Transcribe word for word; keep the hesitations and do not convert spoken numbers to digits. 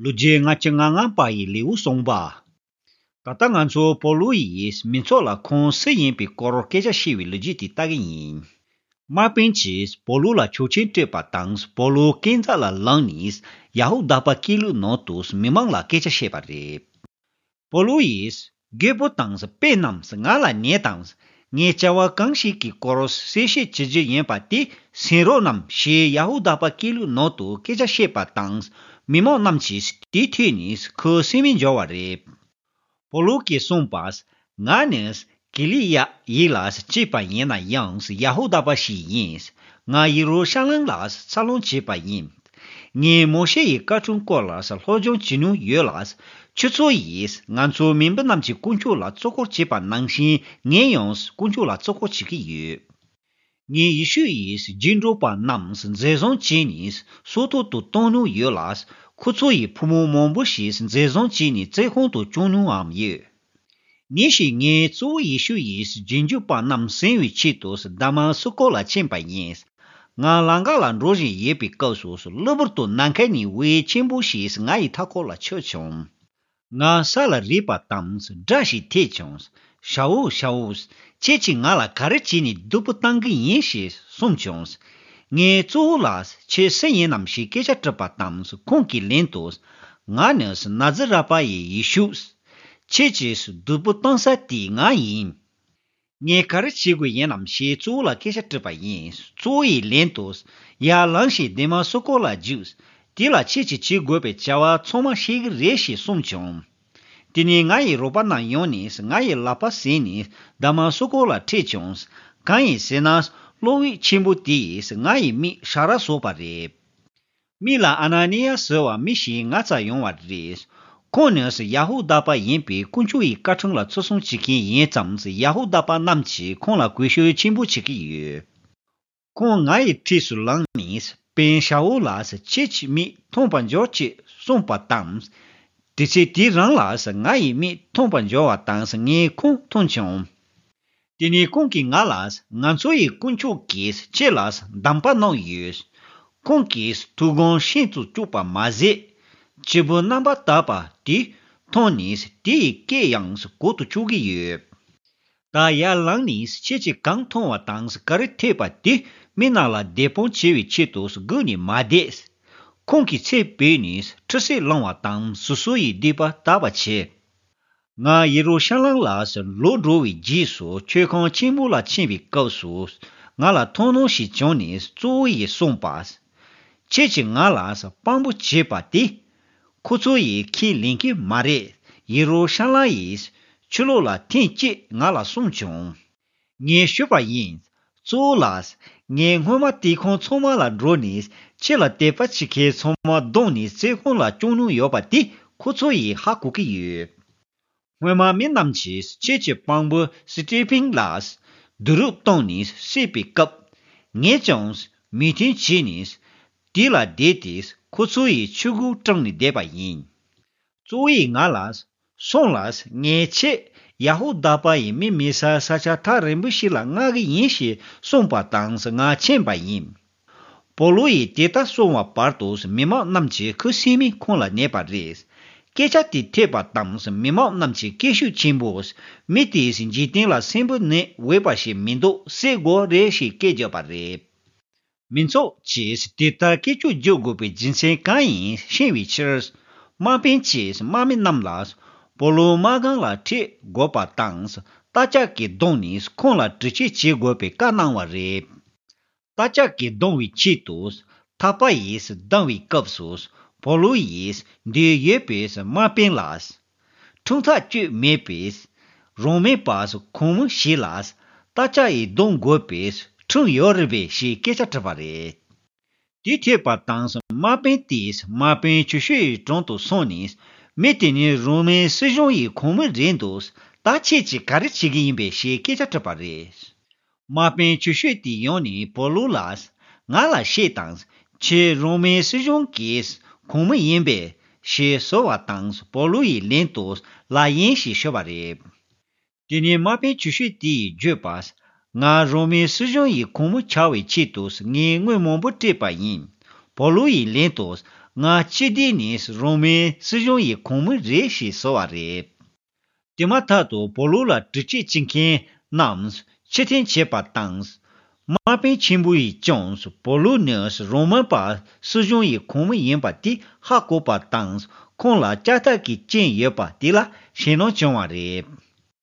ལོ་རྒྱུས་ལྔ་བཅུ་ང་ལྔ་པ་ཡི་ལེའུ་གསུམ་པ། ད་ལྟ་ང་ཚོ་པོ་ལུ་ཡིས་མི་ཚོགས་ལ་ཁོང་སུ་ཡིན་པའི་སྐོར་སྐད་ཆ་བཤད་པའི་ལོ་རྒྱུས་དེ་ལྟ་གི་ཡིན། དམག་དཔོན་གྱིས་པོ་ལུ་ལ་ཆོག་མཆན་སྤྲད་པ་དང་པོ་ལུ་སྐས་འཛེག་ལ་ལངས་ནས་ཡ་ཧུ་དཱ་པ་སྐད་ལུགས་ནང་དུ་མི་མང་ལ་སྐད་ཆ་བཤད་པ་རེད། པོ་ལུ་ཡིས་རྒད་པོ་དང་དཔེ་རྣམས་ང་ལ་ཉན་དང་། ངས་བྱ་བ་གང་ཞིག་གི་སྐོར་གསལ་བཤད་བྱེད་རྒྱུ་ཡིན་པ་དེ་གསན་རོགས་གནང་ཞེས་ཡ་ཧུ་དཱ་པ་སྐད་ལུགས་ནང་དུ་སྐད་ཆ་བཤད་པ་དང་མི་མང་རྣམས་ཀྱིས་དེ་ཐོས་ནས་ཁོ་སེམས་མི་འཇོག་པ་རེད། པོ་ལུ་གིས་གསུངས་པ། ང་ནི་ཀི་ལི་ཡ་ཡིག་ལ་སྐྱེས་པ་ཡིན་ན་ཡང་ཡ་ཧུ་དཱ་པ་ཞིག་ཡིན། ང་ཡེ་རུ་ཤ་ལམ་ལ་འཚར་ལོངས་བྱས་པ་ཡིན། ངས་མོ་ཤེ་ཡི་བཀའ་ཁྲིམས་སྐོར་ལ་སློབ་སྦྱོང་བྱེད་མྱོང་ཡོད་ལ། ཁྱོད་ཚོ་ཡིས་ང་ཚོའི་མི་འབོར་རྣམས་ཀྱི་དཀོན་མཆོག་ལ་བཙོག་གོར་བྱེད་པ་ནང་བཞིན་ངས་ཡང་དཀོན་མཆོག་ལ་བཙོག་གོར་བྱེད་ཀྱི་ཡོད། ངས་ཡེ་ཤུ་ཡིས་རྗེས་འགྲོ་པ་རྣམས་འཛིན་བཟུང་བྱས་ནས་སྲོག་ཐོག་ཏུ་གཏོང་མྱོང་ཡོད་ལ། ཁོ་ཚོ་ཡི་བུ་མོ་མང་པོ་ཞིག་འཛིན་བཟུང་བྱས་ནས་བཙོན་ཁང་དུ་བཅུག་མྱོང་ངམ་ཡོད། ཉིན་ཞིག་ངས་གཙོ་བོ་ཡེ་ཤུ་ཡིས་རྗེས་འཇུག་པ་རྣམས་ཟིན་བའི་ཆེད་དུ་དཱ་མ་སུ་ཀོ་ལ་ཕྱིན་པ་ཡིན། ང་ལམ་ཁ་ལ་འགྲོ་བཞིན་ཡོད་པའི་སྐབས་སུ་གློ་བུར་དུ་ནམ་མཁའ་ནས་འོད་ཆེན་པོ་ཞིག་ངའི་མཐའ་འཁོར་ལ་འཕྱུར་བྱུང་། ང་ས་ལ་རེག་པ་དང་སྒྲ་ཞིག་ཐོས་བྱུང་། ཤ་འུ་ཤ་འུ། ཁྱེད་ཀྱིས་ང་ལ་ག་རེ་བྱས་ནས་སྡུག་པོ་བཏང་གི་ཡིན་ཞེས་གསུངས་བྱུང་། ངས་གཙོ་བོ་ལ་ཁྱེད་སུ་ཡིན་ནམ་ཞེས་སྐད་ཆ་དྲིས་པ་དང་ཁོང་གིས་ལན་དུ། ང་ནི་ན་ཛི་ར་པ་ཡི་ཡེ་ཤུ། ཁྱེད་ཀྱིས་སྡུག་པོ་བཏང་ས་དེ་ང་ཡིན། ངས་ག་རེ་བྱེད་དགོས་ཡིན་ནམ་ཞེས་གཙོ་བོ་ལ་སྐད་ཆ་དྲིས་པ་ཡིན། གཙོ་བོ་ཡིས་ལན་དུ། ཡར་ལངས་ཤིག་དཱ་མ་སུ་ཀོ་ལ་རྒྱུགས། དེ་ལ་ཁྱེད་ཀྱིས་བྱེད་དགོས་པའི་བྱ་བ་ཚང་མ་ཤེས་ཀྱི་རེད་ཞེས་གསུངས་བྱུང་། དེ་ནས་ང་ཡི་རོགས་པ་རྣམས་ཡོང་ནས་ང་ཡི་ལག་པ་ཟིན་ནས་དཱ་མ་སུ་ཀོ་ལ་ཁྲིད་བྱུང་། གང་ཡིན་ཟེར་ན། གློག་འོད་ཆེན་པོ་དེ་ཡིས་ང་ཡི་མིག་ཧྲ་ར་བཟོས་པ་རེད། མི་ལ་ཨ་ན་ནི་ཡ་ཟེར་བ་མི་ཞིག་ང་རྩར་ཡོང་བ་རེད། ཁོང་ནི་ཡ་ཧུ་དཱ་པ་ཡིན་པས་དཀོན་མཆོག་ཡི་བཀའ་ཁྲིམས་ལ་བརྩི་སྲུང་བྱེད་མཁན་ཡིན་ཙང་ཡ་ཧུ་དཱ་པ་རྣམས་ཀྱིས་ཁོང་ལ་གུས་ཞབས་ཆེན་པོ་བྱེད་ཀྱི་ཡོད། ཁོང་ང་ཡི་འཁྲིས་སུ་ལངས་ནས་དཔོན་ཤ་འུ་ལ་ཁྱེད་ཀྱི་མིག་མཐོང་བར་འགྱུར་ཅེས་གསུངས་པ་དང་། དུས་ཚོད་དེ་རང་ལ་ང་ཡི་མིག་མཐོང་བར་འགྱུར་བ་དང་ངས་ཁོང་མཐོང་བྱུང་། དེ་ནས་ཁོང་གིས་ང་ལ། ང་ཚོ་ཡི་དཀོན་མཆོག་གིས་ཁྱེད་ལ་གདམས་པ་གནང་ཡོད། ཁོང་གིས་ཐུགས་དགོངས་ཤིན་ཏུ་བཅུག་པ་མ་ཟད། སྐྱེས་བུ་རྣམ་པར་དག་པ་དེ་མཐོང་ནས་དེ་ཡི་སྐད་ཡང་གོ་དུ་བཅུག་གི་ཡོད། ད་ཡར་ལངས་ནས་ཁྱེད་ཀྱིས་གང་མཐོང་བ་དང་ག་རེ་ཐོས་པ་དེ་མི་རྣམས་ལ་བདེན་དཔང་བྱེད་པའི་ཆེད་དུ་སྒུག་ནས་མ་བསྡད། ཁོང་གིས་ཚེ་འཕོས་ནས་ཁྲི་སེ་བླངས་པ་དང་སོ་སོ་ཡི་སྡིག་པ་དག་པ་བྱས། ང་ཡེ་རུ་ཤ་ལམ་ལ་ལོག་འགྲོ་བའི་རྗེས་སུ་མཆོད་ཁང་ཆེན་པོ་ལ་ཕྱིན་པའི་སྐབས་སུ་ང་ལ་མཐོང་སྣང་ཞིག་བྱུང་ནས་གཙོ་བོ་ཡིས་གསུངས་པ། ཁྱེད་ཀྱིས་ང་ལ་དཔང་པོ་བྱས་པ་དེ། ཁོ་ཚོ་ཡིས་ཁས་ལེན་གྱི་མ་རེད། ཡེ་རུ་ཤ་ལམ་ཡི་ཆོས་ལུགས་ལ་ཐེངས་གཅིག་ང་ལ་གསུངས་བྱུང་། ངས་ཞུས་པ་ཡིན། གཙོ་བོ་ལགས། ངས་སྔོན་མ་དེ་ཁོང་ཚང་མ་ལ་འགྲོ་ནས་ཁྱེད་ལ་དད་པ་བྱེད་མཁན་ཚང་མ་བརྡུངས་ནས་བཙོན་ཁང་ལ་བཅུག་མྱོང་ཡོད་པ་དེ་ཁོ་ཚོ་ཡིས་ཧ་གོ་གི་ཡོད། སྔོན་མ་མི་རྣམས་ཀྱིས་ཁྱེད་ཀྱི་དཔང་པོ་སི་ཏི་ཕིན་ལ་རྡོ་རུབ་བཏང་ནས་བསད་པའི་སྐབས། ངས་ཀྱང་མོས་མཐུན་བྱས་ནས་དེ་ལ་བསྡད་དེ་ཁོ་ཚོ་ཡི་ཆུ་གུ་དྲངས་ནས་བསྡད་པ་ཡིན། གཙོ་བོ་ཡིས་ང་ལ། སོང་ལ། ངས་ཁྱེད་ཡ་ཧུ་དཱ་པ་ཡི་མི་མེད་ས་ས་ཆ་ཐག་རིང་པོ་ཞིག་ལ་མངགས་གི་ཡིན་ཞེས་གསུངས་པ་དང་ང་ཕྱིན་པ་ཡིན། པོ་ལུ་ཡིས་དེ་ལྟར་གསུངས་པ་བར་དུ་མི་མང་རྣམས་ཀྱི་ཁུ་སིམ་མེར་ཁོང་ལ་གནས་པ་རེད། སྐད་ཆ་དེ་ཐོས་པ་དང་མི་མང་རྣམས་ཀྱིས་སྐད་ཤུགས་ཆེན་པོས། མི་དེས་འཇིག་རྟེན་ལ་སྲིན་པོ་ནད་འོས་པ་ཞིག་མི་འདུག་བསད་དགོས་རེད་ཞེས་སྐད་བརྒྱབ་པ་རེད། མི་ཚོགས་ཀྱིས་དེ་ལྟར་སྐད་ཅོར་རྒྱག་དགོས་པའི་རྒྱུ་མཚན་གང་ཡིན་ཤེས་པའི་ཕྱིར། དམག་དཔོན་གྱིས་དམག་མི་རྣམས་ལ། པོ་ལུ་དམག་སྒར་ལ་ཁྲིད་དགོས་པ་དང་། རྟ་ལྕག་གིས་བརྡུངས་ནས་ཁོང་ལ་དྲི་དཔྱད་བྱེད་དགོས་པའི་བཀའ་གནང་བ་རེད། རྟ་ལྕག་གིས་བརྡུང་བའི་ཆེད་དུ། ཐག་པ་ཡིས་བརྡུང་བའི་སྐབས་སུ། པོ་ལུ་ཡིས་འདིར་ཡོད་པའི་དམག་དཔོན་ལ། ཁྲིམས་ཐག་གཅོད་མེད་པས། རང་མོས་པ་གོང་མ་ཞིག་ལ་རྟ་ལྕག་གིས་རྡུང་དགོས་པའི་ཁྲིམས་ཡོད་རེད་པས་ཞེས་སྐད་ཆ་དྲིས་པ་རེད། དེ་ཐོས་པ་དང་དམག་དཔོན་དེས་དམག་དཔོན་ཆེ་ཤོས་ཡི་དྲུང་དུ་སོང་ནས། མི་དེ་ནི་རོ་མའི་སྲིད་གཞུང་ཡི་གོང་མ་རེད་འདུག་ད་ཁྱེད་ཀྱིས་ག་རེ་བྱེད་ཀྱི་ཡིན་པས་ཞེས་སྐད་ཆ་དྲིས་པ་རེད། དམག་དཔོན་ཆེ་ཤོས་དེ་ཡོང་ནས་པོ་ལུ་ལ། ང་ལ་བཤད་དང་། ཁྱེད་རོ་མའི་སྲིད་གཞུང་གི་གོང་མ་ཡིན་པས་ཞེས་ཟེར་བ་དང་པོ་ལུ་ཡིས་ལན་དུ་ལགས་ཡིན་ཞེས་ཤོད་པ་རེད། དེ་ནས་དམག་དཔོན་ཆེ་ཤོས་དེ་ཡིས་བརྗོད་པ། ང་རོ་མའི་སྲིད་གཞུང་ཡི་གོང་མ་ཆགས་པའི་ཆེད་དུ་ངས་དངུལ་མང་པོ་སྤྲད་པ་ཡིན། པོ་ལུ་ཡིས་ལན་དུ། ང་སྤྱི་བདེ་ནས་རོ་མའི་སྲིད་གཞུང་ཡི་ཁོངས་མི་རེད་ཞེས་ཟེར་བ་རེད། དེ་མ་ཐག་ཏུ་པོ་ལུ་ལ་དྲི་དཔྱད་བྱེད་མཁན་རྣམས་ཕྱིར་འཐེན་བྱས་པ་དང་། དམག་དཔོན་ཆེན་པོ་ཡིས་ཀྱང་པོ་ལུ་ནི་རོ་མ་པ་སྲིད་གཞུང་ཡི་ཁོངས་མི་ཡིན་པ་དེ་ཧ་གོ་བ་དང་། ཁོང་ལ་ལྕགས་ཐག་གི་རྐྱེན་ཡོད་པ་དེ་ལ་ཞེད་སྣང་བྱུང་བ་རེད།